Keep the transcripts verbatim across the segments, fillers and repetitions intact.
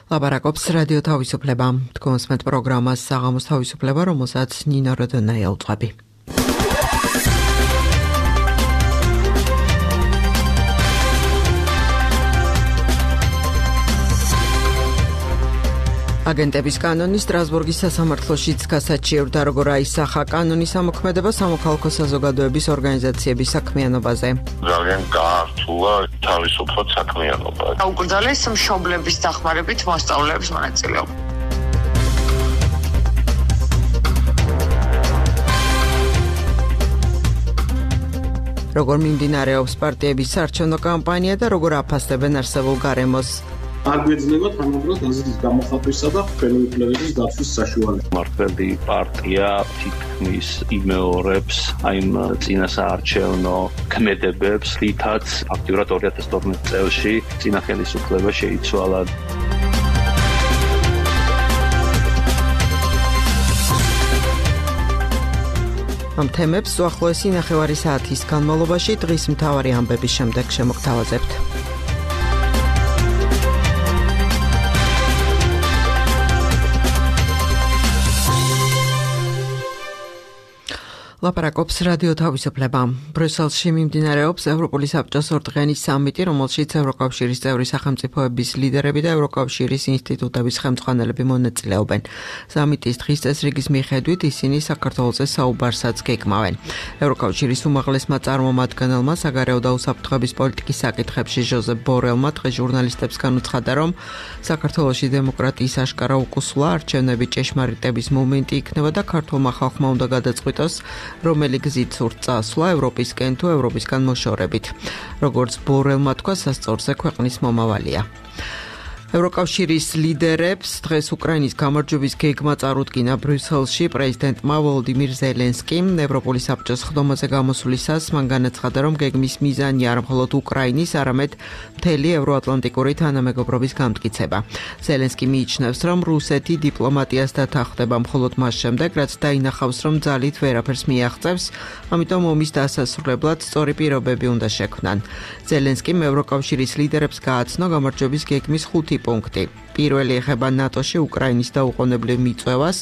ლაპარაკობს რადიო თავისუფლება. თქვენს მეტ პროგრამას საღამოს თავისუფლება, რომელსაც ნინო როდონა ელწვები. აგენტების კანონი სტრასბურგის სასამართლოშიც გასაჩივრდა, როგორ აისახა კანონის ამოქმედება სამოქალაქო საზოგადოების ორგანიზაციების საქმიანობაზე. ძალიან გაართულა თავისუფლად საქმიანობა. აუკრძალეს მშობლების დახმარებით მოსწავლეების მონაწილეობა. როგორ მიმდინარეობს პარტიების საარჩევნო კამპანია და როგორ აფასებენ არსებულ გარემოს. არ გვეძლება თანაბრად აზრის გამოხატვისა და ხელმოკლეობის დაცვის საშუალება. მართველი პარტია თითქმის იმეორებს აი იმ წინასაარჩევნო ქმედებებს, რითაც აქტიურად ორი ათას თორმეტ წელს წინა ხელისუფლება შეიცვალა. ამ თემებს უახლოესი ნახევარი საათის განმავლობაში დღის მთავარი ამბების შემდეგ შემოგთავაზებთ. ლაპარაკობს რადიო თავისუფლება. ბრიუსელში მიმდინარეობს ევროპული საბჭოს ორდღიანი სამიტი, რომელშიც ევროკავშირის წევრი სახელმწიფოების ლიდერები და ევროკავშირის ინსტიტუტების ხელმძღვანელები მონაწილეობენ. სამიტის დღის წესრიგის მიხედვით ისინი საქართველოზე საუბარსაც გეკმავენ. ევროკავშირის უმაღლესმა წარმომადგენელმა საგარეო და უსაფრთხოების პოლიტიკის საკითხებში ჟოზეფ ბორელმა დღეს ჟურნალისტებს განუცხადა, რომ საქართველოში დემოკრატიის აშკარა უკუსვლა, არჩევნები ჭეშმარიტების მომენტი იქნება და ქართულმა ხალხმა უნდა გადაწყვიტოს, რომელი გზით სურთ წასვლა ევროპისკენ თუ ევროპისგან მოშორებით. როგორც ბორელმა თქვა, სასწორზე ქვეყნის მომავალია. ევროკავშირის ლიდერებს დღეს უკრაინის გამარჯვების გეგმა წარუდგინა ბრიუსელში პრეზიდენტმა ვოლოდიმირ ზელენსკიმ. ევროპული საბჭოს ხდომაზე გამოსვლისას მან განაცხადა, რომ გეგმის მიზანი არ მხოლოდ უკრაინის, არამედ მთელი ევროატლანტიკური თანამეგობრობის გამტკიცება. ზელენსკი მიიჩნევს, რომ რუსეთი დიპლომატიას დათანხმდება მხოლოდ მას შემდეგ, რაც დაინახავს, რომ ძალით ვერაფერს მიაღწევს, ამიტომ ომის დასასრულებლად სწორი პირობები უნდა შექმნან. ზელენსკიმ ევროკავშირის ლიდერებს გააცნო გამარჯვების გეგმის ხუთი პუნქტი. პირველი ეხება ნატოში უკრაინის დაუყოვნებლივ მიწვევას,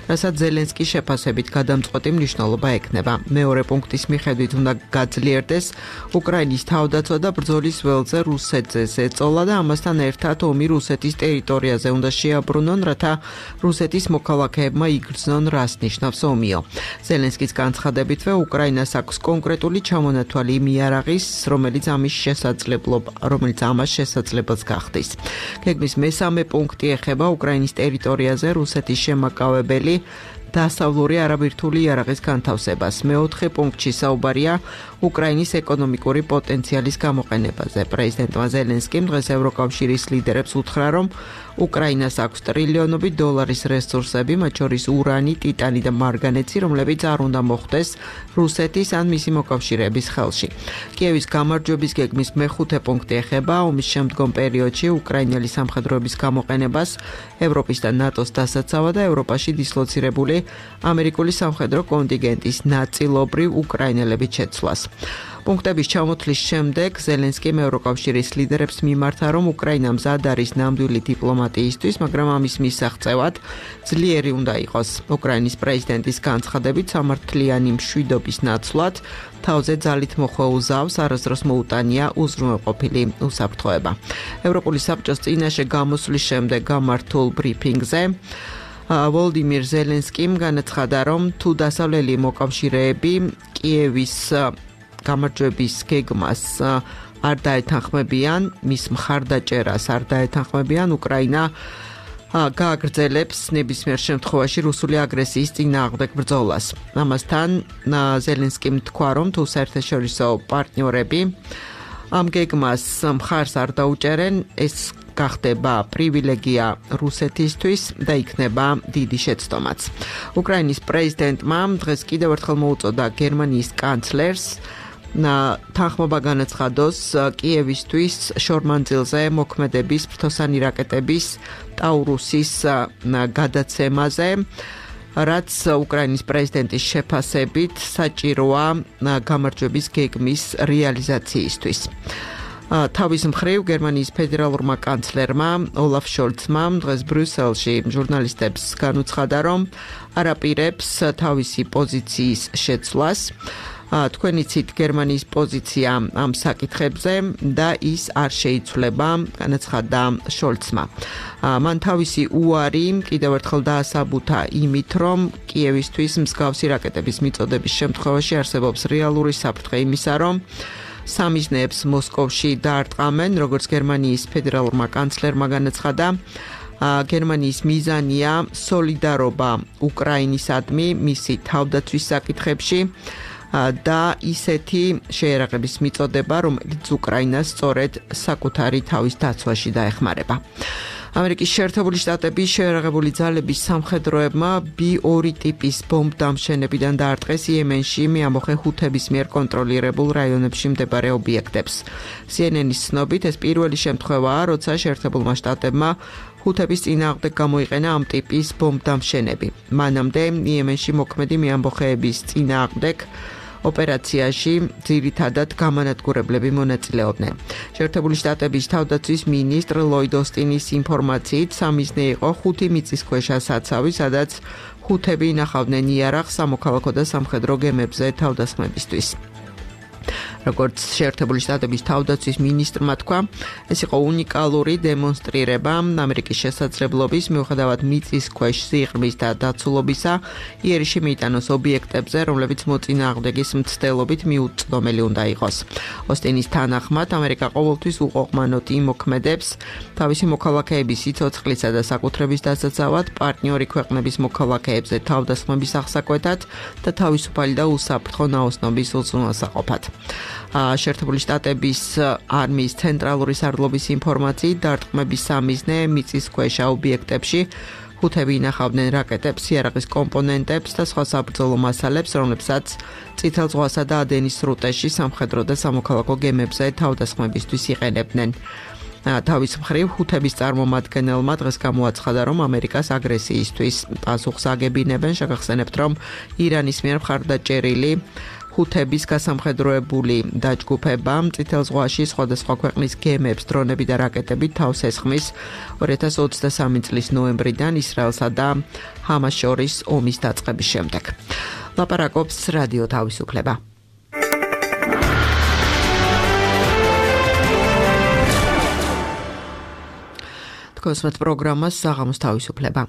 რასაც ზელენსკი შეფასებით გადამწყვეტი მნიშვნელობა ექნება. მეორე პუნქტის მიხედვით უნდა გაძლიერდეს უკრაინის თავდაცვა და ბრძოლის ველზე რუსეთზე ზეწოლა და ამასთან ერთად ომი რუსეთის ტერიტორიაზე უნდა შეაბრუნონ, რათა რუსეთის მოქალაქეებმა იგრძნონ, რას ნიშნავს ომიო. ზელენსკის განცხადებითვე უკრაინას აქვს კონკრეტული ჩამონათვალი იმ იარაღის, რომელიც ამის შესაძლებლობა, რომელიც ამას შესაძლებელს გახდის. გეგმის მესამე პუნქტი ეხება უკრაინის ტერიტორიაზე რუსეთის შემაკავებელი დასავლური არაბირთული იარაღის განთავსებას. მეოთხე პუნქტში საუბარია უკრაინის ეკონომიკური პოტენციალის გამოყენებაზე. პრეზიდენტმა ზელენსკიმ დღეს ევროკავშირის ლიდერებს უთხრა, რომ უკრაინას აქვს ტრილიონობით დოლარის რესურსები, მათ შორის ურანი, ტიტანი და მარგანეცი, რომლებიც არ უნდა მოხვდეს რუსეთის ან მისი მოკავშირეების ხელში. კიევის გამარჯვების გეგმის მეხუთე პუნქტი ეხება ომის შემდგომ პერიოდში უკრაინელი სამხედროების გამოყენებას, ევროპის და ნატოს დასაცავად და ევროპაში დისლოცირებული ამერიკული სამხედრო კონტინგენტის ნაწილობრივ უკრაინელების შეცვლას. პუნქტების ჩამოთვლის შემდეგ ზელენსკიმ ევროკავშირის ლიდერებს მიმართა, რომ უკრაინა მზად არის ნამდვილი დიპლომატიისთვის, მაგრამ ამის მისაღწევად ძლიერი უნდა იყოს. უკრაინის პრეზიდენტის განცხადებით, სამართლიანი მშვიდობის ნაცვლად თავზე ძალით მოხვეულ ზავს არასდროს მოუტანია უზრუნველყოფილი უსაფრთხოება. ევროპული საბჭოს წინაშე გამოსვლის შემდეგ გამართულ ბრიფინგზე ვოლოდიმირ ზელენსკიმ განაცხადა, რომ თუ დასავლელი მოკავშირეები კიევის გამარჯვების გეგმას არ დაეთანხმებიან, მის მხარდაჭერას არ დაეთანხმებიან, უკრაინა გააგრძელებს ნებისმიერ შემთხვევაში რუსული აგრესიის წინააღმდეგ ბრძოლას. ამასთან ზელენსკიმ თქვა, რომ თუ საერთაშორისო პარტნიორები ამ გეგმას მხარს არ დაუჭერენ, ეს გახდება პრივილეგია რუსეთისთვის და იქნება დიდი შეცდომაც. უკრაინის პრეზიდენტმა დღეს კიდევ ერთხელ მოუწოდა გერმანიის კანცლერს თანხმობა განაცხადოს კიევისთვის შორმანძილზე მოქმედების ფრთოსანი რაკეტების ტაურუსის გადაცემაზე, რაც უკრაინის პრეზიდენტის შეფასებით საჭიროა გამარჯვების გეგმის რეალიზაციისთვის. თავის მხრივ გერმანიის ფედერალურმა კანცლერმა ოლაფ შოლცმა დღეს ბრიუსელში ჟურნალისტებს განუცხადა, რომ არ აპირებს თავისი პოზიციის შეცვლას. თქვენ იცით გერმანიის პოზიცია ამ საკითხებზე და ის არ შეიცვლება, განაცხადა შოლცმა. მან თავისი უარი კიდევ ერთხელ დაასაბუთა იმით, რომ კიევისთვის მსგავსი რაკეტების მიწოდების შემთხვევაში არსებობს რეალური საფრთხე იმისა, რომ სამიზნეებს მოსკოვში დაარტყამენ, როგორც გერმანიის ფედერალურმა კანცლერმა განაცხადა. გერმანიის მიზანია სოლიდარობა უკრაინისადმი მისი თავდაცვის საკითხებში და ისეთი შეერაღების მიწოდება, რომელიც უკრაინას სწორედ საკუთარი თავის დაცვაში დაეხმარება. ამერიკის შეერთებული შტატების შეერაღებული ძალების სამხედროებმა ბი ორი ტიპის ბომბდამშენებიდან დაარტყეს იემენში მეამბოხე ჰუთების მიერ კონტროლირებულ რაიონებში მდებარე ობიექტებს. სი ენ ენის ცნობით ეს პირველი შემთხვევაა, როცა შეერთებულმა შტატებმა ჰუთების წინააღმდეგ გამოიყენა ამ ტიპის ბომბდამშენები. მანამდე იემენში მოქმედი მეამბოხეების წინააღმდეგ ოპერაციაში ძირითადად გამანადგურებლები მონაწილეობდნენ. შეერთებული შტატების თავდაცვის მინისტრ ლოიდ ოსტინის ინფორმაციით სამიზნე იყო ხუთი მიწისქვეშა საცავი, სადაც ჰუთები ინახავდნენ იარაღს სამოქალაქო და სამხედრო გემებზე თავდასხმებისთვის. როგორც შეერთებული შტატების თავდაცვის მინისტრმა თქვა, ეს იყო უნიკალური დემონსტრირება ამერიკის შესაძლებლობის მიუხედავად მიწისქვეშ სიღრმის და დაცულობისა იერიში მიიტანოს ობიექტებზე, რომლებიც მოწინააღმდეგის მცდელობით მიუწვდომელი უნდა იყოს. ოსტინის თანახმად, ამერიკა ყოველთვის უყოყმანოდ იმოქმედებს თავისი მოქალაქეების სიცოცხლისა და საკუთრების დასაცავად, პარტნიორი ქვეყნების მოქალაქეებზე თავდასხმების აღსაკვეთად და თავისუფალი და უსაფრთხო ნაოსნობის უზრუნველსაყოფად. შეერთებული შტატების არმიის ცენტრალური სარდლობის ინფორმაციით დარტყმების სამიზნე მიწისქვეშა ობიექტებში ჰუთები ინახავდნენ რაკეტებს, იარაღის კომპონენტებს და სხვა საბრძოლო მასალებს, რომლებსაც წითელ ზღვასა და ადენის სრუტეში სამხედრო და სამოქალაქო გემებზე თავდასხმებისთვის იყენებდნენ. თავის მხრივ ჰუთების წარმომადგენელმა დღეს გამოაცხადა, რომ ამერიკას აგრესიისთვის პასუხს აგებინებენ. შეგახსენებთ, რომ ირანის მიერ მხარდაჭერილი ჰუთების გასამხედროებული დაჯგუფება წითელ ზღვაში სხვადასხვა ქვეყნის გემებს, დრონები და რაკეტებით თავს ესხმის ორი ათას ოცდასამი წლის ნოემბრიდან ისრაელსა და ჰამას შორის ომის დაწყების შემდეგ. ლაპარაკობს რადიო თავისუფლება. თქვენს პროგრამას საღამოს თავისუფლება.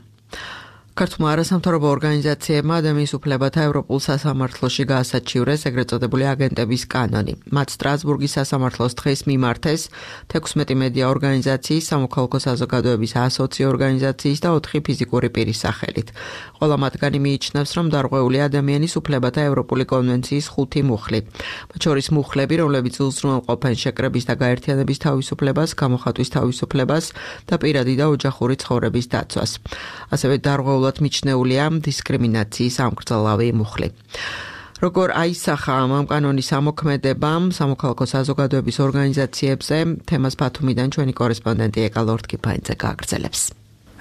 ქართულმა არასამთავრობო ორგანიზაციებმა ადამიანის უფლებათა ევროპულ სასამართლოში გაასაჩივრეს ეგრეთ წოდებული აგენტების კანონი. მათ სტრასბურგის სასამართლოს დღეს მიმართეს თექვსმეტი მედია ორგანიზაციის, სამოქალაქო საზოგადოების ასოცი ორგანიზაციის და ოთხი ფიზიკური პირის სახელით. ყველა მათგანი მიიჩნევს, რომ დარღვეულია ადამიანის უფლებათა ევროპული კონვენციის ხუთი მუხლი. მათ შორის მუხლები, რომლებიც უზრუნველყოფენ შეკრების და გაერთიანების თავისუფლებას, გამოხატვის თავისუფლებას და პირადი და ოჯახური ცხოვრების დაცვას. ასევე დარღვეულ მიჩნეულია დისკრიმინაციის ამკრძალავი მუხლი. როგორ აისახა ამ კანონის ამოქმედებამ სამოქალაქო საზოგადოების ორგანიზაციებზე, თემას ბათუმიდან ჩვენი კორესპონდენტი ეკა ლორდ-კიფაინძე გააგრძელებს.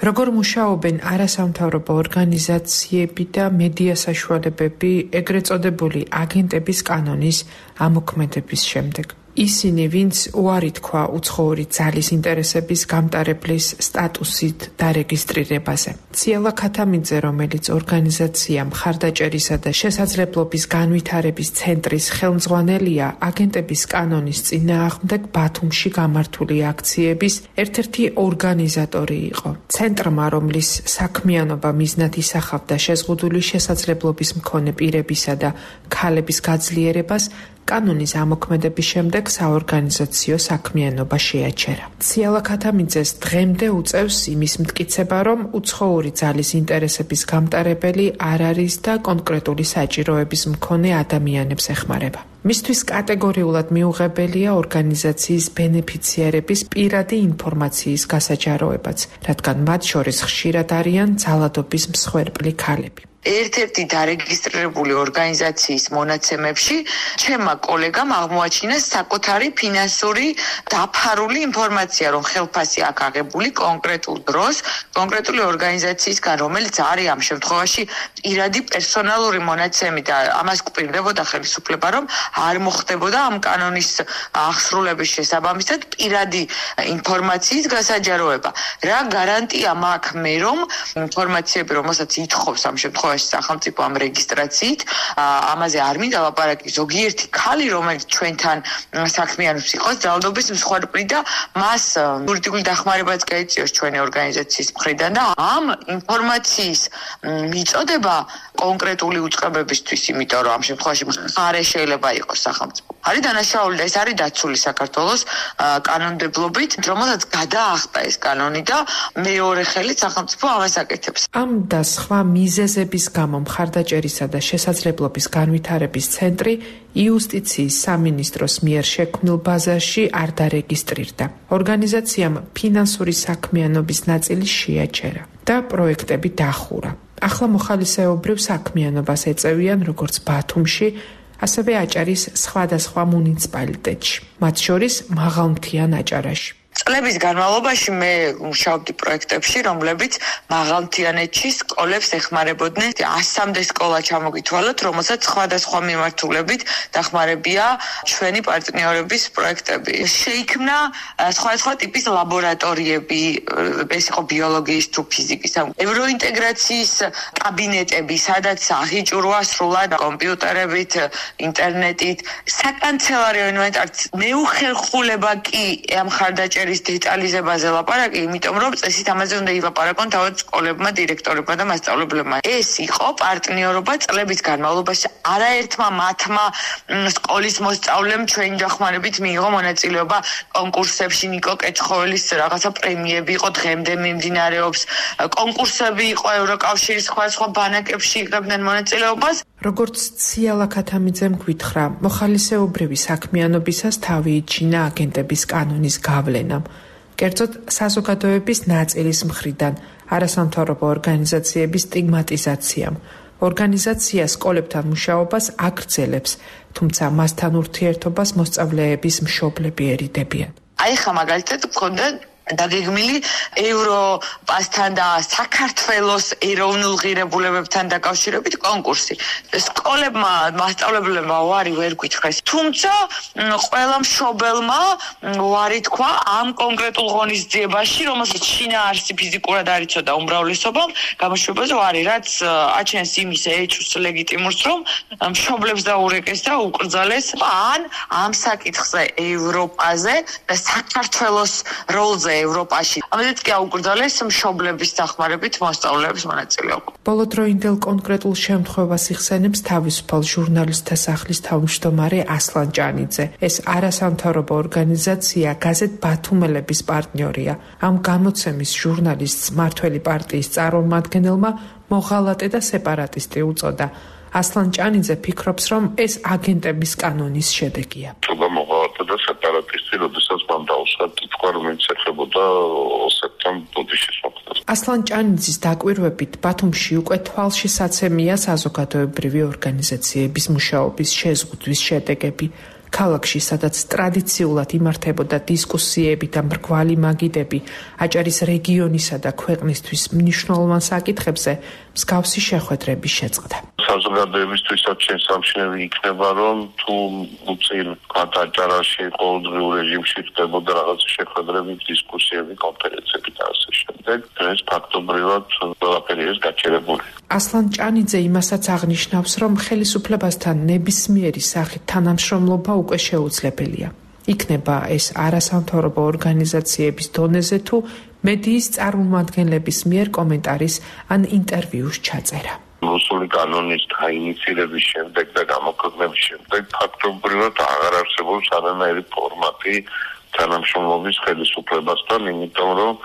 როგორ მუშაობენ არასამთავრობო ორგანიზაციები და მედია საშუალებები ეგრეთ წოდებული აგენტების კანონის ამოქმედების შემდეგ? ისინი, ვინც უარი თქვა უცხოური ძალის ინტერესების გამტარებლის სტატუსით დარეგისტრირებაზე. ციალა ქათამიძე, რომელიც ორგანიზაცია მხარდაჭერისა და შესაძლებლობის განვითარების ცენტრის ხელმძღვანელია, აგენტების კანონის წინააღმდეგ ბათუმში გამართული აქციების ერთ-ერთი ორგანიზატორი იყო. ცენტრმა, რომლის საქმიანობა მიზნად ისახავდა შეზღუდული შესაძლებლობის მქონე პირებისა და ქალების გაძლიერებას, კანონის ამოქმედების შემდეგ საორგანიზაციო საქმიანობა შეაჩერა. ციალა ქათამიძეს დღემდე უწევს იმის მტკიცება, რომ უცხოური ძალის ინტერესების გამტარებელი არ არის და კონკრეტული საჭიროების მქონე ადამიანებს ეხმარება. მისთვის კატეგორიულად მიუღებელია ორგანიზაციის ბენეფიციარების პირადი ინფორმაციის გასაჯაროებაც, რადგან მათ შორის ხშირად არიან ძალადობის მსხვერპლი ქალები. ერთ-ერთი დარეგისტრირებული ორგანიზაციის მონაცემებში ჩემმა კოლეგამ აღმოაჩინა საკუთარი ფინანსური დაფარული ინფორმაცია, რომ ხელფასი აქ აღებული კონკრეტულ დროს, კონკრეტული ორგანიზაციისგან, რომელიც არის ამ შემთხვევაში პირადი პერსონალური მონაცემი და ამას გვპირდებოდა ხელისუფლება, რომ არ მოხდებოდა ამ კანონის აღსრულების შესაბამისად პირადი ინფორმაციის გასაჯაროება. რა გარანტია მაქვს მე, რომ ინფორმაციები, რომელსაც ითხოვს ამ შემთხვევაში სახელმწიფო ამ რეგისტრაციით, ამაზე არ მინდა ლაპარაკი ზოგიერთი ქალი, რომელიც ჩვენთან საქმიანობს იყოს ძალადობის მსხვერპლი და მას იურიდიული დახმარებაც გაეწიოს ჩვენი ორგანიზაციის მხრიდან და ამ ინფორმაციის მიწოდება კონკრეტული უწყებებისთვის, იმიტომ რომ ამ შემთხვევაში მხარე შეიძლება იყოს სახელმწიფო. არის დანაშაული და ეს არის დაცული საქართველოს კანონმდებლობით, რომელსაც გადაახტა ეს კანონი და მეორე ხელით სახელმწიფო ამას აკეთებს. ამ და სხვა მიზეზების გამო მხარდაჭერისა და შესაძლებლობის განვითარების ცენტრი იუსტიციის სამინისტროს მიერ შექმნილ ბაზაში არ დარეგისტრირდა. ორგანიზაციამ ფინანსური საქმიანობის ნაწილი შეაჩერა და პროექტები დახურა. ახლა მოხალისეობრივ საქმიანობას ეწევიან როგორც ბათუმში, ასევე აჭარის სხვადასხვა მუნიციპალიტეტში, მათ შორის მაღალმთიან აჭარაში. წლების განმავლობაში მე მუშაობდი პროექტებში, რომლებიც მაღალმთიანეთში სკოლებს ეხმარებოდნენ. ასამდე სკოლა ჩამოგითვალოთ, რომელსაც სხვადასხვა მიმართულებით დახმარებია ჩვენი პარტნიორების პროექტები. შეიქმნა სხვადასხვა ტიპის ლაბორატორიები, ეს იყო ბიოლოგიის თუ ფიზიკის, ევროინტეგრაციის კაბინეტები, სადაც აღიჭურვა სრულად კომპიუტერებით, ინტერნეტით, საკანცელარიო ინვენტარიც. მეუხერხულება კი ამ მხარდაჭერის დეტალიზებაზე ლაპარაკი, იმიტომ რომ წესით ამაზე უნდა ილაპარაკონ თავად სკოლებმა, დირექტორებმა და მასწავლებლებმა. ეს იყო პარტნიორობა წლების განმავლობაში. არაერთმა მათმა სკოლის მოსწავლემ ჩვენი დახმარებით მიიღო მონაწილეობა კონკურსებში, ნიკო კეჩხოველის რაღაცა პრემიები იყო, დღემდე მიმდინარეობს. კონკურსები იყო ევროკავშირის სხვადასხვა ბანაკებში იღებდნენ მონაწილეობას. როგორც ციალა ქათამიძემ გვითხრა, მოხალისეობრივი საქმიანობისას თავი იჩინა აგენტების კანონის გავლენამ. კერძოდ საზოგადოების ნაწილის მხრიდან არასამთავრობო ორგანიზაციების სტიგმატიზაციამ. ორგანიზაცია სკოლებთან მუშაობას აგრძელებს, თუმცა მასთან ურთიერთობას მოსწავლეების მშობლები ერიდებიან. აი ხა მაგალითად გქონდა დაგეგმილი ევროპასთან და საქართველოს ეროვნულ ღირებულებებთან დაკავშირებით კონკურსი. სკოლებმა, მასწავლებლებმა უარი ვერ გითხრეს. თუმცა ყველა მშობელმა უარი თქვა ამ კონკრეტულ ღონისძიებაში, რომელსაც შინაარსი ფიზიკურად არ იცოდა უმრავლესობამ, გამოშვებაზე უარი, რაც აჩენს იმის ეჭვს ლეგიტიმურს, რომ მშობლებს დაურეკეს და უკრძალეს ან ამ საკითხზე ევროპაზე და საქართველოს როლზე ევროპაში. ამაზეც კი აუკრძალეს მშობლების დახმარებით მოსწავლეების მონაწილეობა. ბოლოდროინდელ კონკრეტულ შემთხვევას იხსენებს თავისუფალ ჟურნალისტთა სახლის თავმჯდომარე ასლან ჭანიძე. ეს არასამთავრობო ორგანიზაცია გაზეთ ბათუმელების პარტნიორია. ამ გამოცემის ჟურნალისტს მართველი პარტიის წარმომადგენელმა მოღალატე და სეპარატისტი უწოდა. ასლან ჭანიძე ფიქრობს, რომ ეს აგენტების კანონის შედეგია. მოღალატე და სეპარატისტი, როდესაც მან დაუსვა თქვა, რომ იცეხებოდა ოსეთთან ბუდიშის მოხდას. ასლან ჭანიძის დაკვირვებით ბათუმში უკვე თვალშისაცემია საზოგადოებრივი ორგანიზაციების მუშაობის შეზღუდვის შედეგები. ქალაქში, სადაც ტრადიციულად იმართებოდა დისკუსიები და მრგვალი მაგიდები აჭარის რეგიონისა და ქვეყნისთვის მნიშვნელოვან საკითხებზე, მსგავსი შეხვედრები შეწყდა. საზოგადოებისთვისაც შესამჩნევი იქნება, რომ თუ უწინ აჭარაში ყოველდღიურ რეჟიმში ხდებოდა რაღაც შეხვედრები, დისკუსიები, კონფერენციები და ასე შემდეგ, ეს ფაქტობრივად ყველაფერი ეს გაჩერებული. ასლან ჭანიძე იმასაც აღნიშნავს, რომ ხელისუფლებასთან ნებისმიერი სახით თანამშრომლობა უკვე შეუძლებელია. იქნება ეს არასამთავრობო ორგანიზაციების დონეზე თუ მედიის წარმომადგენლების მიერ კომენტარის ან ინტერვიუს ჩაწერა. რუსული კანონის დაინიცირების შემდეგ და გამოქვეყნების შემდეგ ფაქტობრივად აღარ არსებობს არანაირი ფორმატი თანამშრომლობის ხელისუფლებასთან, იმიტომ რომ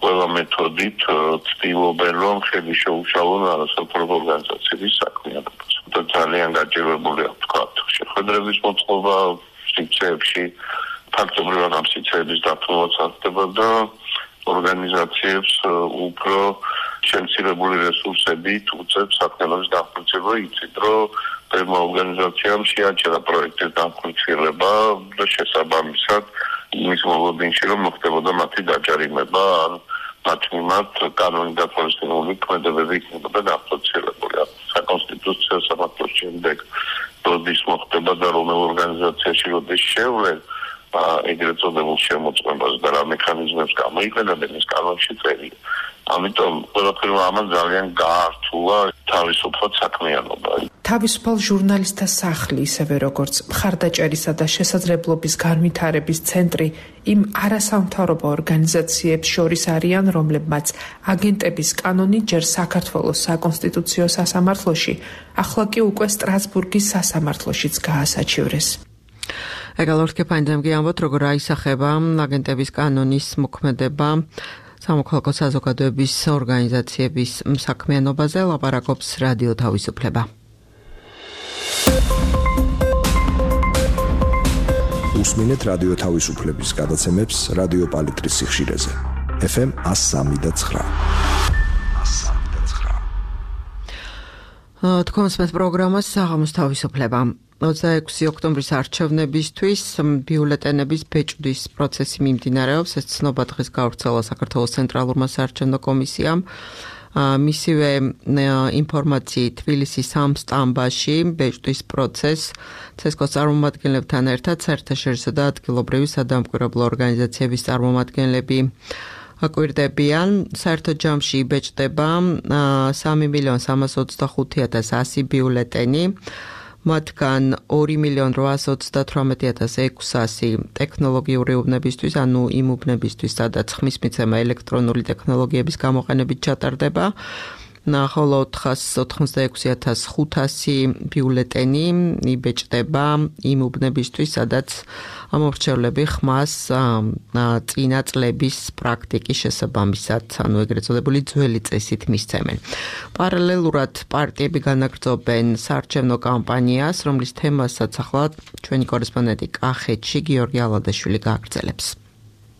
ყველა მეთოდით ცდილობენ, რომ ხელი შეუშალონ არასამთავრობო ორგანიზაციების საქმიანობას. და ძალიან გაჭირვებულია თქვა შეხვედრების მოწყობა სივრცეებში, ფაქტობრივად ამ სივრცეების დათმობაც ხდება და ორგანიზაციებს უფრო შემცირებული რესურსებით უწევს საქმიანობის განხორციელება. იცით, რომ ბევრ ორგანიზაციამ შეაჩერა პროექტის განხორციელება და შესაბამისად იმის მოლოდინში რომ მოხდებოდა მათი დაჯარიმება ან მათ მიმართ კანონით დაფორსებული ქმედებები იქნებოდა განხორციელებული. საკონსტიტუციო სამართლის შემდეგ როდის მოხდება და რომელ ორგანიზაციაში როდის შევლენ ეგრეთ წოდებულ შემოწმებას და რა მექანიზმებს გამოიყენებენ ის კანონში წერია. ამიტომ ყველაფერმა ამან ძალიან გაართულა თავისუფლად საქმიანობა. თავისუფალ ჟურნალისტთა სახლი, ისევე როგორც მხარდაჭერისა და შესაძლებლობის განვითარების ცენტრი იმ არასამთავრობო ორგანიზაციებს შორის არიან, რომლებმაც აგენტების კანონი ჯერ საქართველოს საკონსტიტუციო სასამართლოში, ახლა კი უკვე სტრასბურგის სასამართლოშიც გაასაჩივრეს. ეგალორთკე პანდემგი ამბობთ, როგორ აისახება აგენტების კანონის მოქმედება სამოქალაქო საზოგადოების ორგანიზაციების საქმიანობაზე, ლაპარაკობს რადიო თავისუფლება. უსმინეთ რადიო თავისუფლების გადაცემებს რადიო პალიტრის სიხშირეზე. ეფ ემ one oh three და nine. თქვენს მე პროგრამას საღამოს თავისუფლება. ოცდაექვსი ოქტომბრის არჩევნებისთვის ბიულეტენების ბეჭვდის პროცესი მიმდინარეობს. ეს ცნობა დღეს გავრცელა საქართველოს ცენტრალურმა საარჩევნო კომისიამ. მისივე ინფორმაციით თბილისის სამ სტამბაში ბეჭვდის პროცესს ცესკოს წარმომადგენლებთან ერთად საერთაშორისო და ადგილობრივი სადამკვირვებლო ორგანიზაციების წარმომადგენლები აკვირდებიან. საერთო ჯამში იბეჭდება სამი მილიონი სამას ოცდახუთი ათას ასი ბიულეტენი. მათგან ორი მილიონი რვაას ოცდათვრამეტი ათას ექვსასი ტექნოლოგიური უბნებისთვის, ანუ იმ უბნებისთვის, სადაც ხმის მიცემა ელექტრონული ტექნოლოგიების გამოყენებით ჩატარდება. ხოლო ოთხას ოცდაექვსი ათას ხუთასი ბიულეტენი იბეჭდება იმ უბნებისთვის, სადაც ამორჩევლები ხმას წინა წლების პრაქტიკის შესაბამისად, ანუ ეგრეთ წოდებული ძველი წესით მისცემენ. პარალელურად პარტიები განაგრძობენ საარჩევნო კამპანიას, რომლის თემასაც ახლა ჩვენი კორესპონდენტი კახეთში გიორგი ალადაშვილი გააგრძელებს.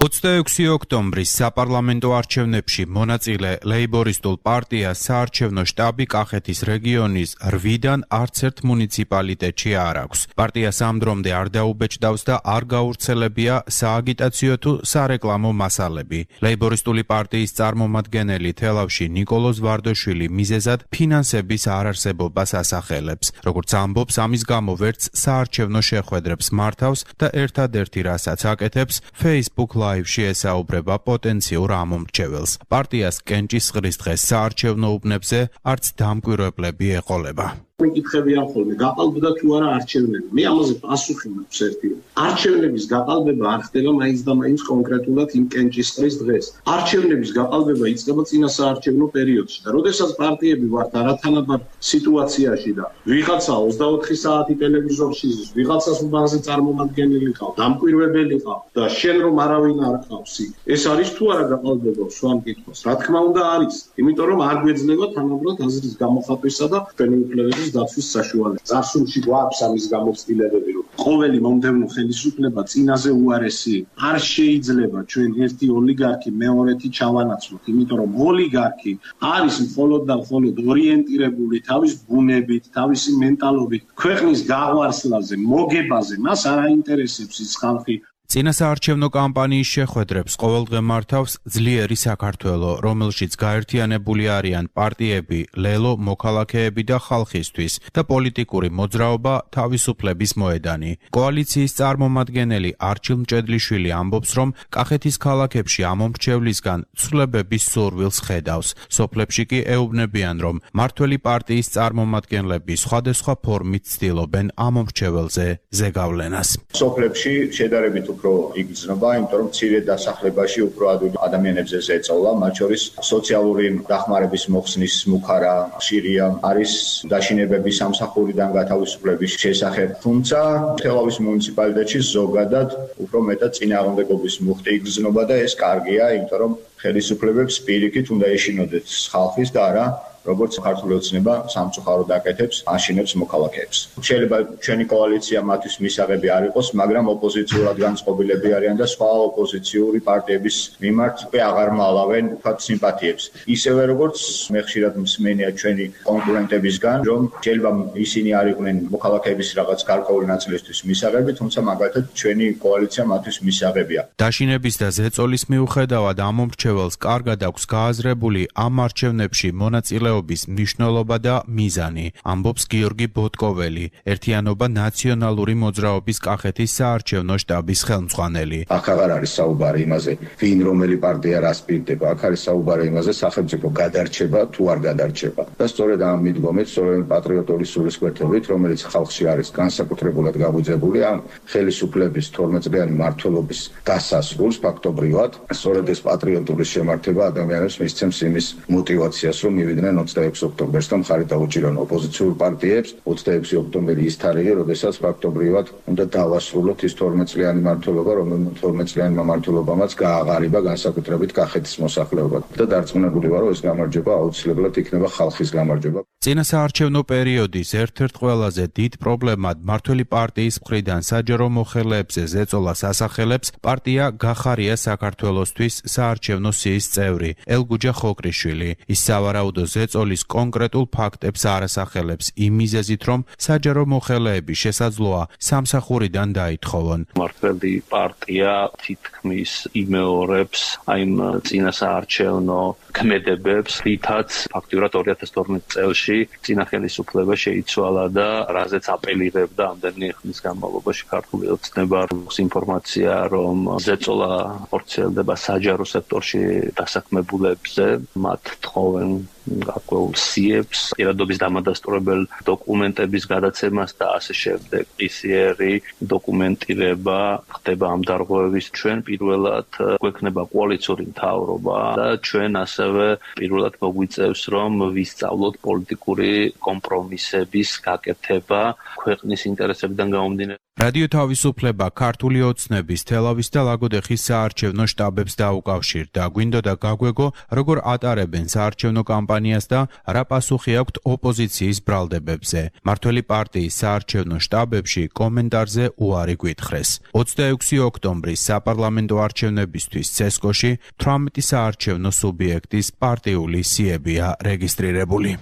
ოცდაექვსი ოქტომბრის საპარლამენტო არჩევნებში მონაწილე ლეიბორისტულ პარტიას საარჩევნო შტაბი კახეთის რეგიონის რვიდან არც ერთ მუნიციპალიტეტში არ აქვს. პარტიას ამ დრომდე არ დაუბეჭდავს და არ გაურცელებია სააგიტაციო თუ სარეკლამო მასალები. ლეიბორისტული პარტიის წარმომადგენელი თელავში ნიკოლოზ ვარდოშვილი მიზეზად ფინანსების არარსებობას ასახელებს. როგორც ამბობს, ამის გამო ვერც საარჩევნო შეხვედრებს მართავს და ერთადერთი რასაც აკეთებს, Facebook ლაივში ესაუბრება პოტენციურ ამომრჩეველს. პარტიას კენჭისყრის დღეს საარჩევნო უბნებზე არც დამკვირვებლები ეყოლება. მეკითხებიან ხოლმე გაყალბდა თუ არა არჩევნები. მე ამაზე პასუხი მაქვს ერთი. არჩევნების გაყალბება არ ხდება მაინც და მაინც კონკრეტულად იმ კენჭისყრის დღეს. არჩევნების გაყალბება იწყება წინა საარჩევნო პერიოდში და როდესაც პარტიები ვართ არათანაბარ სიტუაციაში და ვიღაცა ოცდაოთხი საათი ტელევიზორში ზის, ვიღაცას უბანზე წარმომადგენელი ყავს, დამკვირვებელი ყავს და შენ რომ არავინ არ ყავს. ეს არის თუ არა გაყალბება სვამ კითხვას. რა თქმა უნდა არის, იმიტომ რომ არ გვეძლება თანაბრად აზრის გამოხატვისა და ფენოკლების დაცვის საშუალება. წარსულში გვაქვს ამის გამოცდილებები, რომ ყოველი მომდევნო ხელისუფლება წინაზე უარესი არ შეიძლება ჩვენ ერთი ოლიგარქი მეორეთი ჩავანაცვლოთ, იმიტომ რომ ოლიგარქი არის მხოლოდ და მხოლოდ ორიენტირებული თავის ბუნებით, თავისი მენტალობით, ქვეყნის გაღვარსლაზე, მოგებაზე, მას არ აინტერესებს ის ხალხი. წინასაარჩევნო კამპანიის შეხვედრებს ყოველდღე მართავს ძლიერი საქართველო, რომელშიც გაერთიანებული არიან პარტიები, ლელო, მოქალაქეები და ხალხისთვის და პოლიტიკური მოძრაობა თავისუფლების მოედანი. კოალიციის წარმომადგენელი არჩილ მჭედლიშვილი ამბობს, რომ კახეთის ქალაქებში ამომრჩევლისგან ცვლილებების სურვილს ხედავს. სოფლებში კი ეუბნებიან, რომ მართველი პარტიის წარმომადგენლები სხვადასხვა ფორმით ცდილობენ ამომრჩეველზე ზეგავლენას. სოფლებში შედარებით უფრო იგრძნობა, იმიტომ რომ მცირე დასახლებაში უფრო ადვილი ადამიანებზე ზეწოლა, მათ შორის სოციალური დახმარების მოხსნის მუქარა ხშირია, არის დაშინებების სამსახურიდან გათავისუფლების შესახებ. თუმცა თელავის მუნიციპალიტეტში ზოგადად უფრო მეტად წინააღმდეგობის მუხტი იგრძნობა და ეს კარგია, იმიტომ რომ ხელისუფლებებს პირიქით უნდა ეშინოდეთ ხალხის და არა როგორც ქართული ოცნება სამწუხაროდ აკეთებს, აშინებს მოქალაქეებს. შეიძლება ჩვენი კოალიცია მათთვის მისაღები არ იყოს, მაგრამ ოპოზიციურად განწყობილები არიან და სხვა ოპოზიციური პარტიების მიმართ უკვე აღარ მალავენ თქვათ სიმპათიებს. ისევე როგორც მე ხშირად მსმენია ჩვენი კონკურენტებისგან, რომ შეიძლება ისინი არ იყვნენ მოქალაქეების რაღაც გარკვეული ნაწილისთვის მისაღები, თუმცა მაგალითად ჩვენი კოალიცია მათთვის მისაღებია. დაშინების და ზეწოლის მიუხედავად ამ მომრჩეველს კარგად აქვს გააზრებული ამ არჩევნებში მონაწილეობის მნიშვნელობა და მიზანი, ამბობს გიორგი ბოტკოველი, ერთიანობა ნაციონალური მოძრაობის კახეთის საარჩევნო შტაბის ხელმძღვანელი. აქ აღარ არის საუბარი იმაზე, ვინ რომელი პარტია რას პირდება, აქ არის საუბარი იმაზე, სახელმწიფო გადარჩება თუ არ გადარჩება. და სწორედ ამ მიდგომით, სწორედ პატრიოტული სულისკვეთებით, რომელიც ხალხში არის განსაკუთრებულად გაგვიძებული ამ ხელისუფლების თორმეტ წლიანი მმართველობის დასასრულს ფაქტობრივად, სწორედ ეს პატრიოტული შემართება ადამიანებს მისცემს იმის мотивაციას, რომ მივიდნენ ოცდაექვსი ოქტომბერს და მხარი დაუჭირონ ოპოზიციურ პარტიებს. ოცდაექვსი ოქტომბერი ის თარიღი, როდესაც ფაქტობრივად უნდა დავასრულოთ ის თორმეტ წლიანი მმართველობა, რომელიც თორმეტ წლიანი მმართველობამაც გააღარიბა განსაკუთრებით კახეთის მოსახლეობა. და დარწმუნებული ვარ, რომ ეს გამარჯვება აუცილებლად იქნება ხალხის გამარჯვება. წინასაარჩევნო პერიოდის ერთ-ერთ ყველაზე დიდ პრობლემად მმართველი პარტიის მხრიდან საჯარო მოხელეებზე ზეწოლას ასახელებს პარტია გახარია საქართველოსთვის საარჩევნო სიის წევრი ელგუჯა ხოკრიშვილი. ის სავარაუდო ზეწოლის კონკრეტულ ფაქტებს არ ასახელებს იმ მიზეზით, რომ საჯარო მოხელეები შესაძლოა სამსახურიდან დაითხოვონ. მმართველი პარტია თითქმის იმეორებს აი წინასაარჩევნო ქმედებებს, რითაც ფაქტიურად ორი ათას თორმეტ წელში წინა ხელისუფლება შეიცვალა და რაზეც აპელირებდა ამდენი ხნის განმავლობაში ქართული ოცნება ინფორმაცია, რომ ზეწოლა ხორციელდება საჯარო სექტორში დასაქმებულებზე, მათ თხოვენ გარკვეულ სიებს, პირადობის დამადასტურებელ დოკუმენტების გადაცემას და ასე შემდეგ. ისიერი დოკუმენტირება ხდება ამ დარღვევების. ჩვენ პირველად გვექნება კოალიციური მთავრობა და ჩვენ ასევე პირველად მოგვიწევს, რომ ვისწავლოთ პოლიტიკური კომპრომისების გაკეთება ქვეყნის ინტერესებიდან გამომდინარე. რადიო თავისუფლება ქართული ოცნების თელავის და ლაგოდეხის საარჩევნო შტაბებს დაუკავშირდა. გვინდოდა გაგვეგო, როგორ ატარებენ საარჩევნო კამპანიას და რა პასუხი აქვთ ოპოზიციის ბრალდებებზე. მმართველი პარტიის საარჩევნო შტაბებში კომენტარზე უარი გვითხრეს. ოცდაექვსი ოქტომბრის საპარლამენტო არჩევნებისთვის ცესკოში თვრამეტი საარჩევნო სუბიექტის პარტიული სიებია რეგისტრირებული.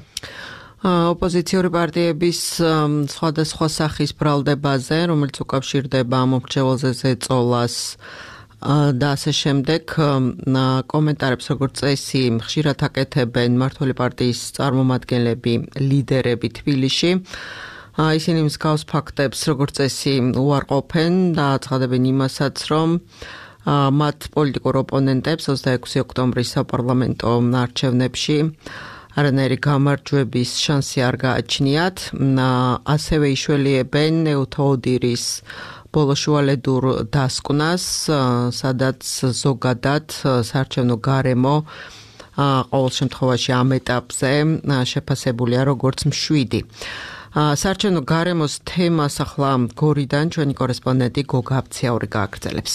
ოპოზიციური პარტიების სხვადასხვა სახის ბრალდებაზე, რომელიც უკავშირდება მომრჩეველზე ზეწოლას და ასე შემდეგ, კომენტარებს როგორც წესი ხშირად აკეთებენ მმართველი პარტიის წარმომადგენლები, ლიდერები თბილისში. ისინი მსგავს ფაქტებს როგორც წესი უარყოფენ და აცხადებენ იმასაც, რომ მათ პოლიტიკურ ოპონენტებს ოცდაექვსი ოქტომბრის საპარლამენტო არჩევნებში არანაირი გამარჯვების შანსი არ გააჩნიათ. ასევე იშველიებენ ევთოოდირის ბოლოშუალედურ დასკვნას, სადაც ზოგადად საარჩევნო გარემო ყოველ შემთხვევაში ამ ეტაპზე შეფასებულია როგორც მშვიდი. საარჩევნო გარემოს თემას ახლა გორიდან ჩვენი კორესპონდენტი გოგა აბციაური გააგრძელებს.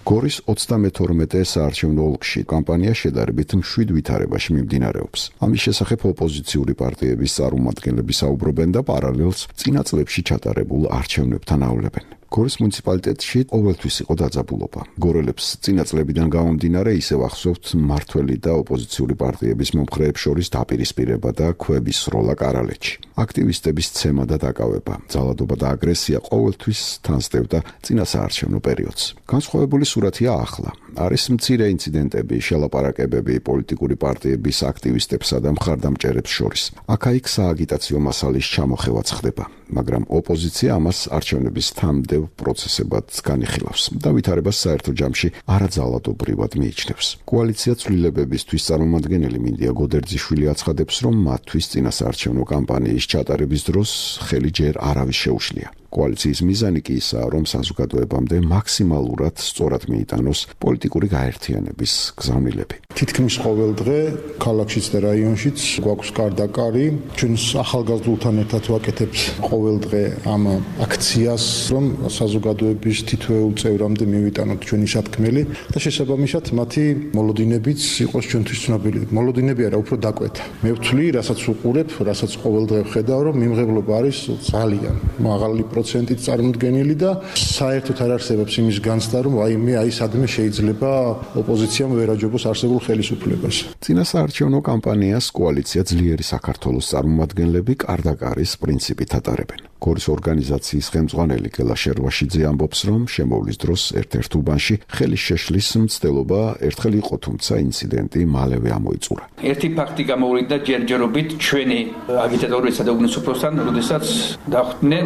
გორის ოცდამეთორმეტე საარჩევნო ოლქში კამპანია შედარებით მშვიდ ვითარებაში მიმდინარეობს. ამის შესახებ ოპოზიციური პარტიების წარმომადგენლები საუბრობენ და პარალელს წინა წლებში ჩატარებულ არჩევნებთან ავლებენ. გორის მუნიციპალიტეტში ყოველთვის იყო დაძაბულობა. გორელებს წინა წლებიდან გამომდინარე ისევ ახსოვთ მმართველი და ოპოზიციური პარტიების მომხრეებს შორის დაპირისპირება და ქვების სროლა კარალეთში. აქტივისტების ცემა და დაკავება, ძალადობა და აგრესია ყოველთვის თან სდევდა წინა საარჩევნო პერიოდს. განსხვავებული სურათია ახლა. არის მცირე ინციდენტები, შელაპარაკებები პოლიტიკური პარტიების აქტივისტებსა და მხარდამჭერებს შორის. აქა-იქ სააგიტაციო მასალის ჩამოხევაც ხდება, მაგრამ ოპოზიცია ამას არჩევნების თამდევ პროცესებად განიხილავს და ვითარებას საერთო ჯამში არაძალადობრივად მიიჩნევს. კოალიცია ცვლილებებისთვის წარმომადგენელი მინდია გოდერძიშვილი აცხადებს, რომ მათთვის წინასაარჩევნო კამპანიის ჩატარების დროს ხელი ჯერ არავის შეუშლია. კოალიციის მიზანი კი ისაა, რომ საზოგადოებამდე მაქსიმალურად სწორად მიიტანოს პოლიტიკური გაერთიანების გზავნილები. თითქმის ყოველ დღე ქალაქშიც და რაიონშიც გვაქვს გარდაკარი. ჩვენ ახალგაზრდულთან ერთად ვაკეთებთ ყოველ დღე ამ აქციას, რომ საზოგადოების თითოეულ წევრამდე მივიტანოთ ჩვენი სათქმელი და შესაბამისად მათი მოლოდინებიც იყოს ჩვენთვის ცნობილი. მოლოდინები არა, უფრო დაკვეთა. მე ვთვლი, რასაც უყურებ, რასაც ყოველ დღე ვხედავ, რომ მიმღებლობა არის ძალიან მაღალი პროცენტით წარმოდგენილი და საერთოდ არ არსებობს იმის განცდა, რომ აი მე აი სადმე შეიძლება ოპოზიციამ ვერაჯობოს არსებულ ხელისუფლებას. წინასაარჩევნო კამპანიას კოალიცია ძლიერი საქართველოს წარმომადგენლები კარდაკარის პრინციპით ატარებენ. გორის ორგანიზაციის ხელმძღვანელი გელა შერვაშიძე ამბობს, რომ შემოვლის დროს ერთ-ერთ უბანში ხელის შეშლის მცდელობა ერთხელ იყო, თუმცა ინციდენტი მალევე ამოიწურა. ერთი ფაქტი გამოვლინდა ჯერჯერობით ჩვენი აგიტატორებისა და უგნესუფროსთან, როდესაც დახვდნენ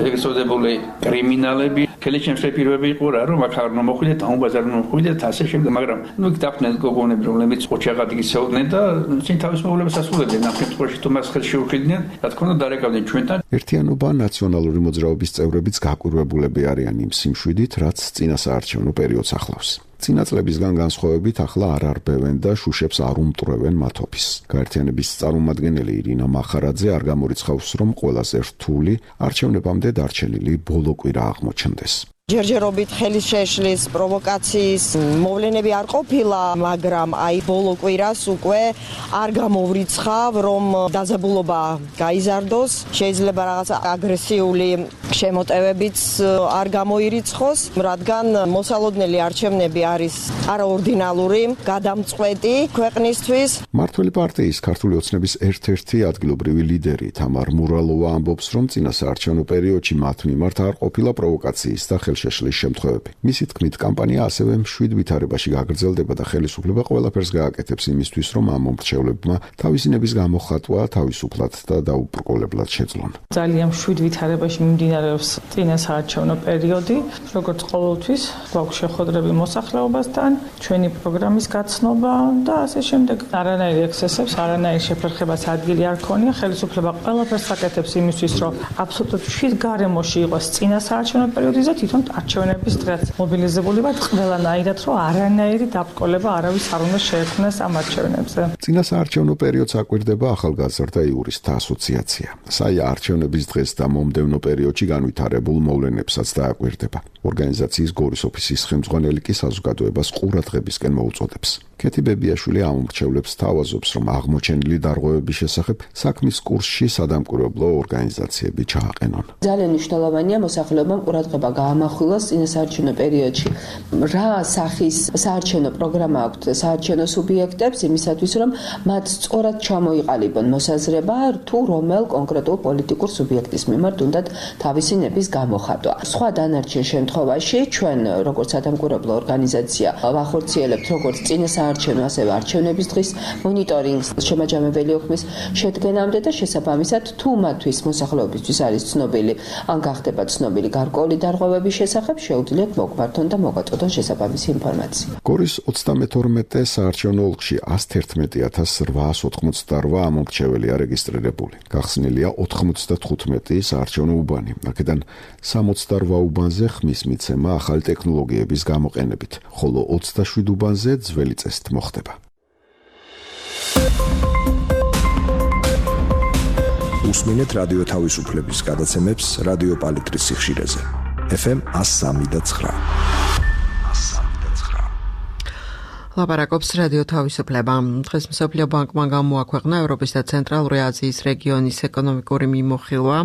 ეგრეთ წოდებული კრიმინალები, ხელისშემშლელი პირობები იყო რა, რომ აქ არ მოხვიდეთ, ამ ბაზარზე მოხვიდეთ, ასე შემდეგ, მაგრამ ნუ იქ დახვდნენ გოგონები, რომლებიც ოჩაღად იქცეოდნენ და წინ თავის მოვლენას ასრულებდნენ, ამ შემთხვევაში თუ მას ხელში უხილდნენ, რა თქმა უნდა დარეკავდნენ ჩვენთან. ერთიანობა ნაციონალური მოძრაობის წევრებიც გაკვირვებულები არიან იმ სიმშვიდით, რაც წინასაარჩევნო პერიოდს ახლავს. წინა წლებისგან განსხვავებით ახლა არ არბევენ და შუშებს არ უმტვრევენ მათ ოფისს. გაერთიანების წარმომადგენელი ირინა მახარაძე არ გამორიცხავს, რომ ყველაზე რთული არჩევნებამდე დარჩენილი ბოლო კვირა აღმოჩნდეს. ჯერჯერობით ხელის შეშლის პროვოკაციის მოვლენები არ ყოფილა, მაგრამ აი ბოლო კვირას უკვე არ გამოვრიცხავ, რომ დაძაბულობა გაიზარდოს, შეიძლება რაღაც აგრესიული შემოტევებიც არ გამოირიცხოს, რადგან მოსალოდნელი არჩევნები არის არაორდინალური, გადამწყვეტი ქვეყნისთვის. მართველი პარტიის ქართული ოცნების ერთ-ერთი ადგილობრივი ლიდერი თამარ მურალოვა ამბობს, რომ წინასაარჩევნო პერიოდში მათ მიმართ არ ყოფილა პროვოკაციის და შეშლის შემთხვევები. მისი თქმით, კამპანია ასევე მშვიდ ვითარებაში გაგრძელდება და ხელისუფლება ყველაფერს გააკეთებს იმისთვის, რომ ამ მომრჩევლებმა თავისინების გამოხატვა თავისუფლად და დაუბრკოლებლად შეძლონ. ძალიან მშვიდ ვითარებაში მიმდინარეობს წინასაარჩევნო პერიოდი, როგორც ყოველთვის, გვაქვს შეხვედრები მოსახლეობასთან, ჩვენი პროგრამის გაცნობა და ასე შემდეგ. არანაირი ექსცესებს, არანაირი შეფერხებას ადგილი არ ქონია, ხელისუფლება ყველაფერს აკეთებს იმისთვის, რომ აბსოლუტურად მშვიდ გარემოში იყოს წინასაარჩევნო პერიოდი და თვითონ არჩევნების დღეს მობილიზებული ვართ ყველანაირად, რომ არანაირი დაბრკოლება არავის არ უნდა შეექმნას ამ არჩევნებზე. წინასაარჩევნო პერიოდს აკვირდება ახალგაზრდა იურისტთა ასოციაცია. საია არჩევნების დღეს და მომდევნო პერიოდში განვითარებულ მოვლენებსაც დააკვირდება. ორგანიზაციის გორის ოფისის ხელმძღვანელი კი საზოგადოებას ყურადღებისკენ მოუწოდებს. ქეთი ბებიაშვილი ამორჩევლებს თავაზობს, რომ აღმოჩენილი დარღვევების შესახებ საქმის კურსში სადამკვირვებლო ორგანიზაციები ჩააყენონ. ძალიან მნიშვნელოვანია მოსახლეობამ ყურადღება გაამახვილოს წინასაარჩევნო პერიოდში. რა სახის საარჩევნო პროგრამა აქვთ საარჩევნო სუბიექტებს იმისათვის, რომ მათ სწორად ჩამოიყალიბონ მოსაზრება თუ რომელ კონკრეტულ პოლიტიკურ სუბიექტის მიმართ უნდათ თავისი ნების გამოხატვა. სხვა დანარჩენ შემთხვევაში ჩვენ როგორც სადამკვირვებლო ორგანიზაცია ვახორციელებთ როგორც წინასაარჩევნო ასევე არჩევნების დღის მონიტორინგს შემაჯამებელი ოქმის შედგენამდე და შესაბამისად თუ მათთვის მოსახლეობისთვის არის ცნობილი ან გახდება ცნობილი გარკვეული დარღვევების შესახებ შეუძლიათ მოგვართონ და მოგვაწოდონ შესაბამისი ინფორმაცია. გორის ოცდამეთორმეტე საარჩევნო ოლქში ასი ათეული ათას რვაასი ოცდაოთხმოცდარვა ამორჩეველია რეგისტრირებული. გახსნილია ოთხმოცდათხუთმეტი საარჩევნო უბანი. აქედან სამოცდარვა უბანზე ხმის მიცემა ახალი ტექნოლოგიების გამოყენებით, ხოლო ოცდაშვიდ უბანზე ძველი წესით მოხდება. უსმინეთ რადიო თავისუფლების გადაცემებს რადიო პალიტრის სიხშირეზე. ეფ ემ one oh three point nine. ლაპარაკობს რადიო თავისუფლება. დღეს მსოფლიო ბანკმა გამოაქვეყნა ევროპის და ცენტრალური აზიის რეგიონის ეკონომიკური მიმოხილვა,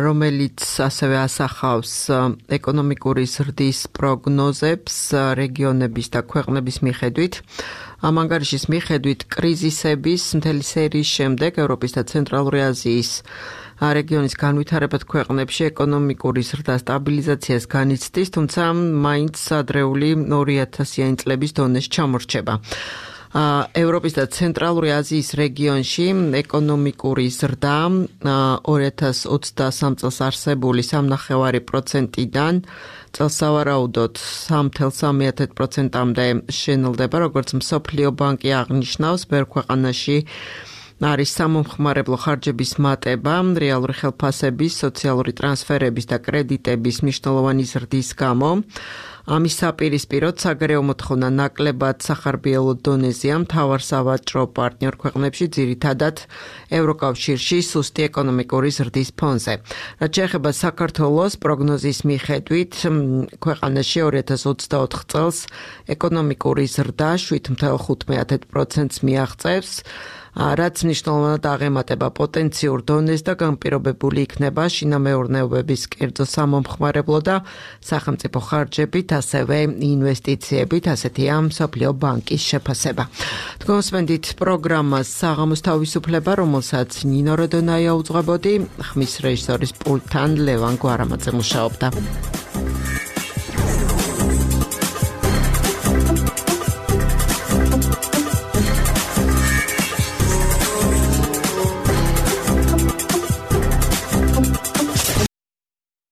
რომელიც ასევე ასახავს ეკონომიკური ზრდის პროგნოზებს რეგიონების და ქვეყნების მიხედვით. ამ ანგარიშის მიხედვით კრიზისების მთელი სერიის შემდეგ ევროპის და ცენტრალური აზიის რეგიონის განვითარებად ქვეყნებში ეკონომიკური ზრდა სტაბილიზაციას განიცდის, თუმცა მაინც ადრეული ორი ათასიანი წლების დონეში ჩამორჩება. ევროპის და ცენტრალური აზიის რეგიონში ეკონომიკური ზრდა ორი ათას ოცდასამ წელს არსებული სამი ნახევარი პროცენტიდან წელსავარაუდოდ სამი ათეული სამი პროცენტამდე შენელდება, როგორც მსოფლიო ბანკი აღნიშნავს, ბევრ ქვეყანაში არის სამომხმარებლო ხარჯების მატება, რეალური ხელფასების, სოციალური ტრანსფერების და კრედიტების მნიშვნელოვანი ზრდის გამო. ამის საპირისპიროდ საგარეო მოთხოვნა ნაკლებად სახარბიელო დონეზეა მთავარ სავაჭრო პარტნიორ ქვეყნებში, ძირითადად ევროკავშირში სუსტი ეკონომიკური ზრდის ფონზე. რაც შეეხება საქართველოს, პროგნოზის მიხედვით ქვეყანაში ორი ათას ოცდაოთხ წელს ეკონომიკური ზრდა შვიდ ათეულ ხუთ პროცენტს მიაღწევს, რაც მნიშვნელოვნად აღემატება პოტენციურ დონეს და განპირობებული იქნება შინამეურნეობების კერძო სამომხმარებლო და სახელმწიფო ხარჯებით, ასევე ინვესტიციებით, ასეთია მსოფლიო ბანკის შეფასება. თქვენსმენდით პროგრამას საღამოს თავისუფლება, რომელსაც ნინო როდონაია უძღვებოდი, ხმის რეჟისორის პულტთან ლევან გვარამაძე მუშაობდა.